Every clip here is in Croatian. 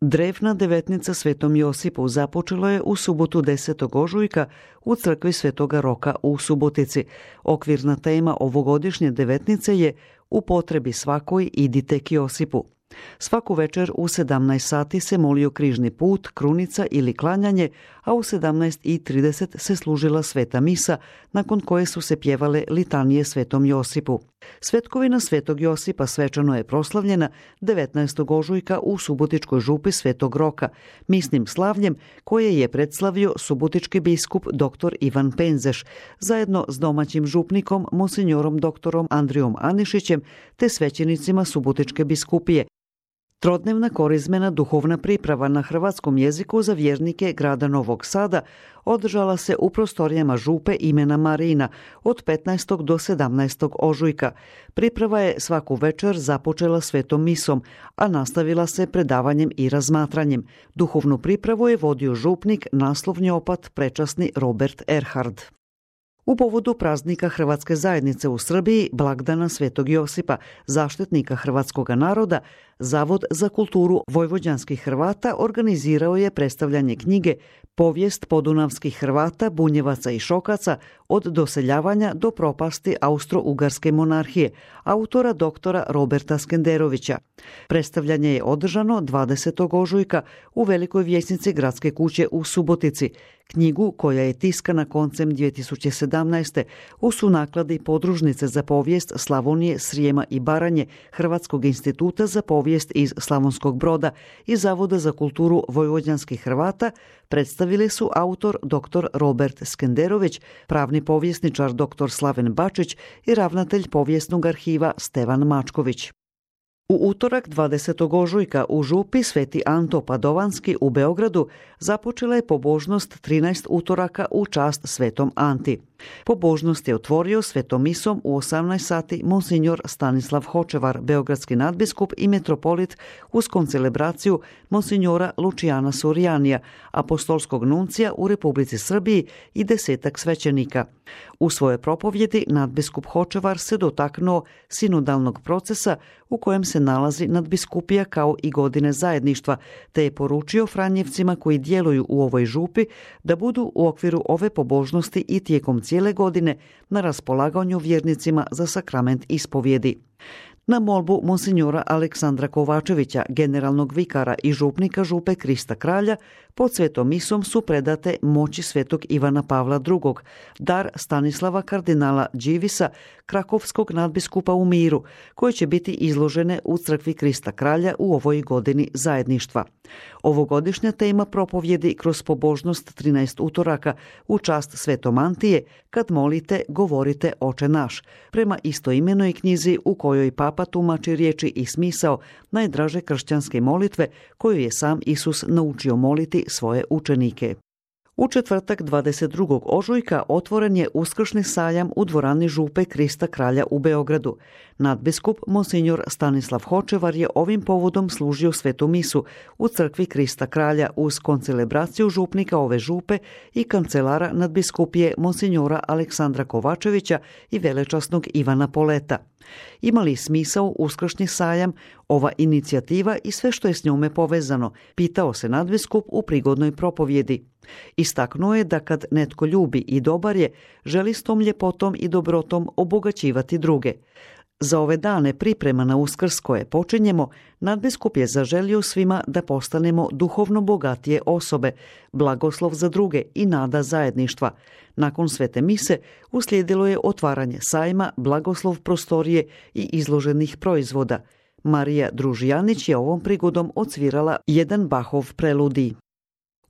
Drevna devetnica Svetom Josipu započelo je u subotu 10. ožujka u crkvi Svetoga Roka u Subotici. Okvirna tema ovogodišnje devetnice je "U potrebi svakoj idite k Josipu". Svaku večer u 17 sati se molio križni put, krunica ili klanjanje, a u 17:30 se služila sveta misa, nakon koje su se pjevale litanije Svetom Josipu. Svetkovina Svetog Josipa svečano je proslavljena 19. ožujka u Subotičkoj župi Svetog Roka, misnim slavljem koje je predslavio subotički biskup dr. Ivan Penzeš, zajedno s domaćim župnikom monsignorom dr. Andrijom Anišićem te svećenicima Subotičke biskupije. Trodnevna korizmena duhovna priprava na hrvatskom jeziku za vjernike grada Novog Sada održala se u prostorijama župe imena Marina od 15. do 17. ožujka. Priprava je svaku večer započela svetom misom, a nastavila se predavanjem i razmatranjem. Duhovnu pripravu je vodio župnik, naslovni opat prečasni Robert Erhard. U povodu praznika Hrvatske zajednice u Srbiji, blagdana Svetog Josipa, zaštitnika hrvatskoga naroda, Zavod za kulturu vojvođanskih Hrvata organizirao je predstavljanje knjige Povijest podunavskih Hrvata, Bunjevaca i Šokaca od doseljavanja do propasti Austro-Ugarske monarhije, autora doktora Roberta Skenderovića. Predstavljanje je održano 20. ožujka u Velikoj vijećnici Gradske kuće u Subotici. Knjigu, koja je tiskana koncem 2017. u sunakladi Podružnice za povijest Slavonije, Srijema i Baranje Hrvatskog instituta za povijest iz Slavonskog Broda i Zavoda za kulturu vojvođanskih Hrvata, predstavili su autor dr. Robert Skenderović, pravni povjesničar dr. Slaven Bačić i ravnatelj povijesnog arhiva Stevan Mačković. U utorak 20. ožujka u župi Sveti Anto Padovanski u Beogradu započela je pobožnost 13 utoraka u čast Svetom Anti. Pobožnost je otvorio svetom misom u 18 sati monsinjor Stanislav Hočevar, beogradski nadbiskup i metropolit, uz koncelebraciju monsinjora Lučijana Surijanija, apostolskog nuncija u Republici Srbiji i 10 svećenika. U svojoj propovjedi nadbiskup Hočevar se dotaknuo sinodalnog procesa u kojem se nalazi nadbiskupija kao i godine zajedništva, te je poručio Franjevcima koji djeluju u ovoj župi da budu u okviru ove pobožnosti i tijekom cijele godine na raspolaganju vjernicima za sakrament ispovjedi. Na molbu monsinjora Aleksandra Kovačevića, generalnog vikara i župnika župe Krista Kralja, pod svetom misom su predate moći svetog Ivana Pavla II, dar Stanislava kardinala Đivisa, krakovskog nadbiskupa u Miru, koje će biti izložene u crkvi Krista Kralja u ovoj godini zajedništva. Ovogodišnja tema propovjedi kroz pobožnost 13 utoraka u čast Svetom Antije, kad molite, govorite Oče naš, prema istoimenoj knjizi u kojoj Papa tumači riječi i smisao najdraže kršćanske molitve koju je sam Isus naučio moliti svoje učenike. U četvrtak 22. ožujka otvoren je uskršnji sajam u dvorani župe Krista Kralja u Beogradu. Nadbiskup monsinjor Stanislav Hočevar je ovim povodom služio svetu misu u crkvi Krista Kralja uz koncelebraciju župnika ove župe i kancelara nadbiskupije monsinjora Aleksandra Kovačevića i velečasnog Ivana Poleta. Ima li smisao uskršnji sajam, ova inicijativa i sve što je s njome povezano, pitao se nadbiskup u prigodnoj propovjedi. Istaknuo je da kad netko ljubi i dobar je, želi s tom ljepotom i dobrotom obogaćivati druge. Za ove dane priprema na Uskrs koje počinjemo, nadbiskup je zaželio svima da postanemo duhovno bogatije osobe, blagoslov za druge i nada zajedništva. Nakon svete mise uslijedilo je otvaranje sajma, blagoslov prostorije i izloženih proizvoda. Marija Družijanić je ovom prigodom odsvirala jedan Bachov preludij.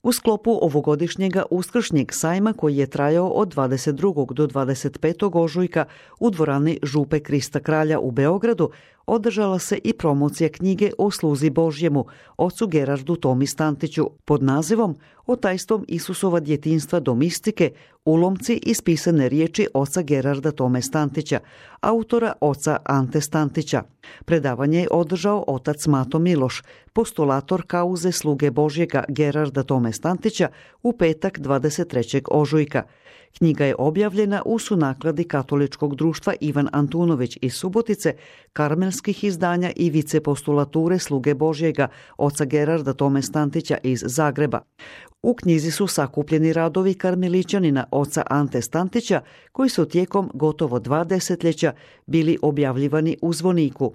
U sklopu ovogodišnjega uskršnjeg sajma koji je trajao od 22. do 25. ožujka u dvorani župe Krista Kralja u Beogradu održala se i promocija knjige o sluzi Božjemu, ocu Gerardu Tomi Stantiću, pod nazivom O tajstvom Isusova djetinjstva do mistike, ulomci iz pisane riječi oca Gerarda Tome Stantića, autora oca Ante Stantića. Predavanje je održao otac Mato Miloš, postulator kauze sluge Božjega Gerarda Tome Stantića u petak 23. ožujka. Knjiga je objavljena u sunakladi Katoličkog društva Ivan Antunović iz Subotice, karmelskih izdanja i vicepostulature Sluge Božjega oca Gerarda Tome Stantića iz Zagreba. U knjizi su sakupljeni radovi karmelićanina oca Ante Stantića, koji su tijekom gotovo 2 desetljeća bili objavljivani u Zvoniku.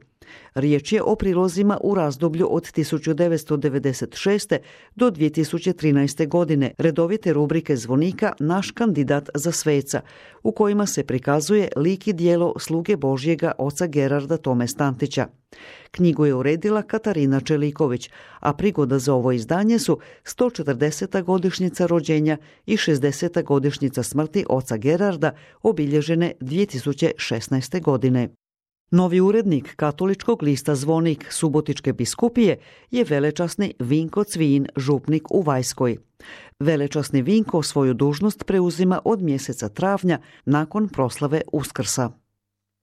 Riječ je o prilozima u razdoblju od 1996. do 2013. godine, redovite rubrike Zvonika Naš kandidat za sveca, u kojima se prikazuje lik i djelo Sluge Božjega oca Gerarda Tome Stantića. Knjigu je uredila Katarina Čeliković, a prigoda za ovo izdanje su 140. godišnjica rođenja i 60. godišnjica smrti oca Gerarda, obilježene 2016. godine. Novi urednik katoličkog lista Zvonik Subotičke biskupije je velečasni Vinko Cvijin, župnik u Vajskoj. Velečasni Vinko svoju dužnost preuzima od mjeseca travnja nakon proslave Uskrsa.